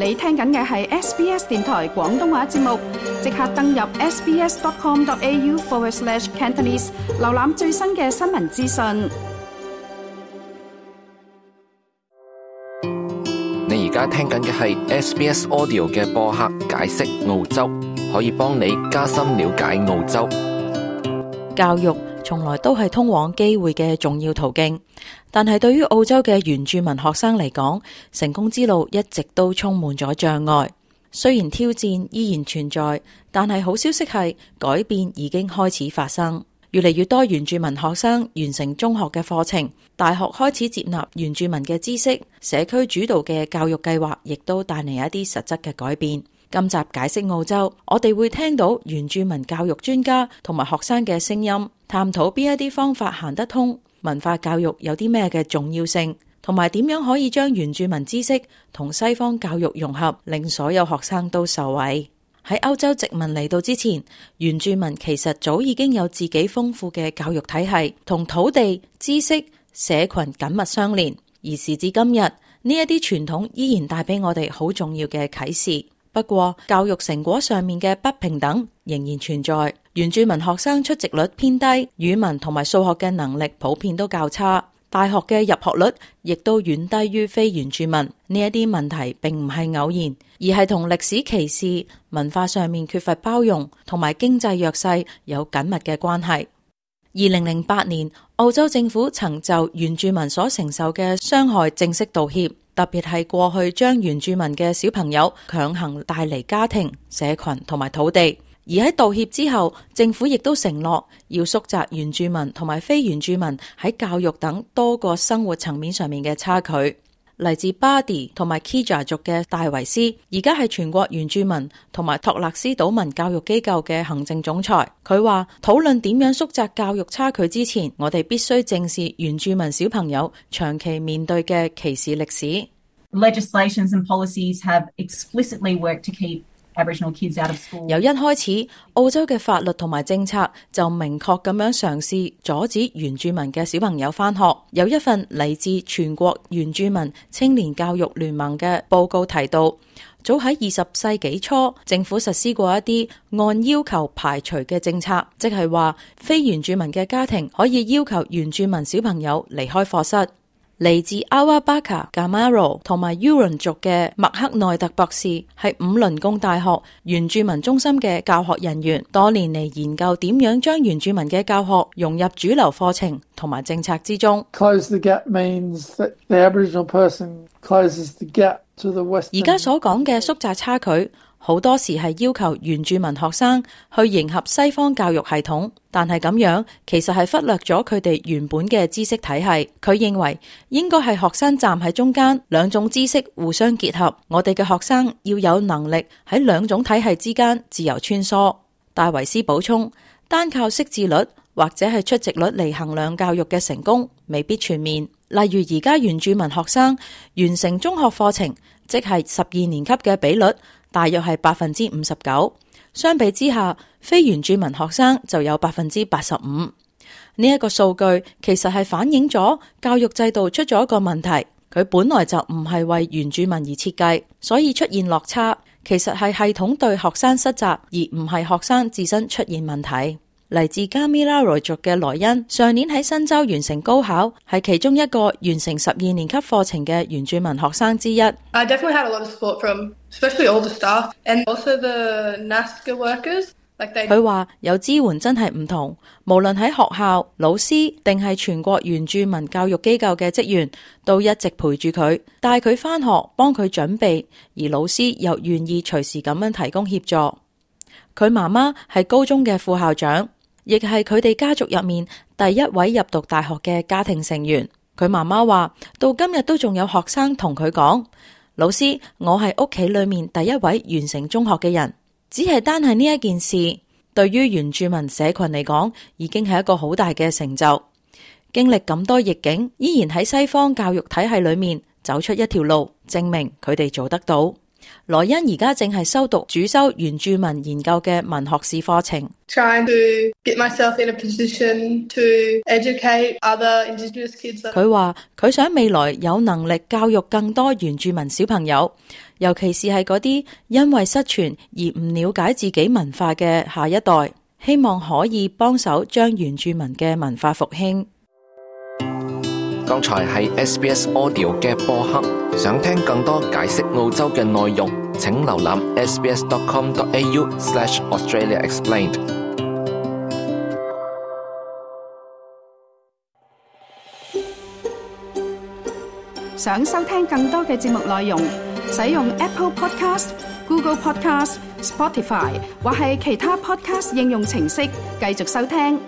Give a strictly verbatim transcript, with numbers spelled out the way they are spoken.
你聽緊嘅係 S B S 電台廣東話節目，即刻登入 sbs.com.au forward slash Cantonese， 瀏覽最新嘅新聞資訊。你而家聽緊嘅係 S B S Audio 嘅播客解釋澳洲，可以幫你加深了解澳洲。教育從來都係通往機會嘅重要途徑，但係對於澳洲嘅原住民學生嚟講，成功之路一直都充滿咗障礙。雖然挑戰依然存在，但係好消息係改變已經開始發生。越嚟越多原住民學生完成中學嘅課程，大學開始接納原住民嘅知識，社區主導嘅教育計劃亦都帶嚟一啲實質嘅改變。今集解釋澳洲，我哋會聽到原住民教育專家同埋學生嘅聲音，探討邊一啲方法行得通，文化教育有啲咩嘅重要性，同埋點樣可以將原住民知識同西方教育融合，令所有學生都受惠。喺歐洲殖民嚟到之前，原住民其實早已經有自己豐富嘅教育體系，同土地、知識、社群緊密相連。而時至今日，呢一啲傳統依然帶俾我哋好重要嘅啟示。不過，教育成果上面嘅不平等仍然存在。原住民學生出席率偏低，語文同埋數學嘅能力普遍都較差，大學嘅入學率亦都遠低於非原住民。呢一啲問題並唔係偶然，而係同歷史歧視、文化上面缺乏包容同埋經濟弱勢有緊密嘅關係。二零零八年，澳洲政府曾就原住民所承受嘅傷害正式道歉，特別係過去將原住民嘅小朋友強行帶離家庭、社群同埋土地。而喺道歉之後，政府亦都承諾要縮窄原住民同埋非原住民喺教育等多個生活層面上面嘅差距。嚟自巴迪同埋 Kija 族嘅戴維斯，而家係全國原住民同埋托勒斯島民教育機構嘅行政總裁。佢話，討論點樣縮窄教育差距之前，我哋必須正視原住民小朋友長期面對嘅歧視歷史。Legislations and policies have explicitly worked to keep Aboriginal kids out of school. 由一開始，澳洲嘅法律同埋政策就明確咁樣嘗試阻止原住民嘅小朋友返學。有一份嚟自全國原住民青年教育聯盟嘅報告提到，早喺二十世紀初，政府實施過一啲按要求排除嘅政策，即係話非原住民嘅家庭可以要求原住民小朋友離開課室。嚟自 Awabaka、Gamaro 同埋 Yuron 族嘅麥克內特博士係五輪貢大學原住民中心嘅教學人員，多年嚟研究點樣將原住民嘅教學融入主流課程同埋政策之中。Close the gap means that the Aboriginal person closes the gap to the Western. 而家所講嘅縮窄差距，好多時係要求原住民學生去迎合西方教育系統，但係咁樣其實係忽略咗佢哋原本嘅知識體系。佢認為應該係學生站喺中間，兩種知識互相結合。我哋嘅學生要有能力喺兩種體系之間自由穿梭。戴維斯補充，單靠識字率或者係出席率嚟衡量教育嘅成功未必全面。例如而家原住民學生完成中學課程，即係十二年級嘅比率大約係百分之五十九，相比之下，非原住民學生就有百分之八十五。呢一個數據其實係反映咗教育制度出咗一個問題，佢本來就唔係為原住民而設計，所以出現落差。其實係系統對學生失責，而唔係學生自身出現問題。嚟自加米拉羅族嘅萊恩，上年喺新州完成高考，係其中一個完成十二年級課程嘅原住民學生之一。I definitely had a lot of support from especially all the staff and also the N A S C A workers. Like they... 佢話有支援真係唔同，無論喺學校、老師定係全國原住民教育機構嘅職員，都一直陪住佢，帶佢返學，幫佢準備，而老師又願意隨時咁樣提供協助。佢媽媽係高中嘅副校長，亦係佢哋家族入面第一位入讀大學嘅家庭成員。佢媽媽話，到今日都仲有學生同佢講，老師，我係屋企裏面第一位完成中學嘅人。只係單係呢一件事，對於原住民社群嚟講，已經係一個好大嘅成就。經歷咁多逆境，依然喺西方教育體系裏面走出一條路，證明佢哋做得到。羅恩而家正係修讀主修原住民研究嘅文學士課程。Trying to get myself in a position to educate other Indigenous kids. 佢話佢想未來有能力教育更多原住民小朋友，尤其是係嗰啲因為失傳而唔了解自己文化嘅下一代，希望可以幫手將原住民嘅文化復興。剛才係 S B S Audio 嘅播客，想聽更多解釋澳洲嘅內容，請瀏覽 sbs dot com dot a u slash Australia Explained。想收聽更多嘅節目內容，使用 Apple Podcast、Google Podcast、Spotify 或係其他 Podcast 應用程式繼續收聽。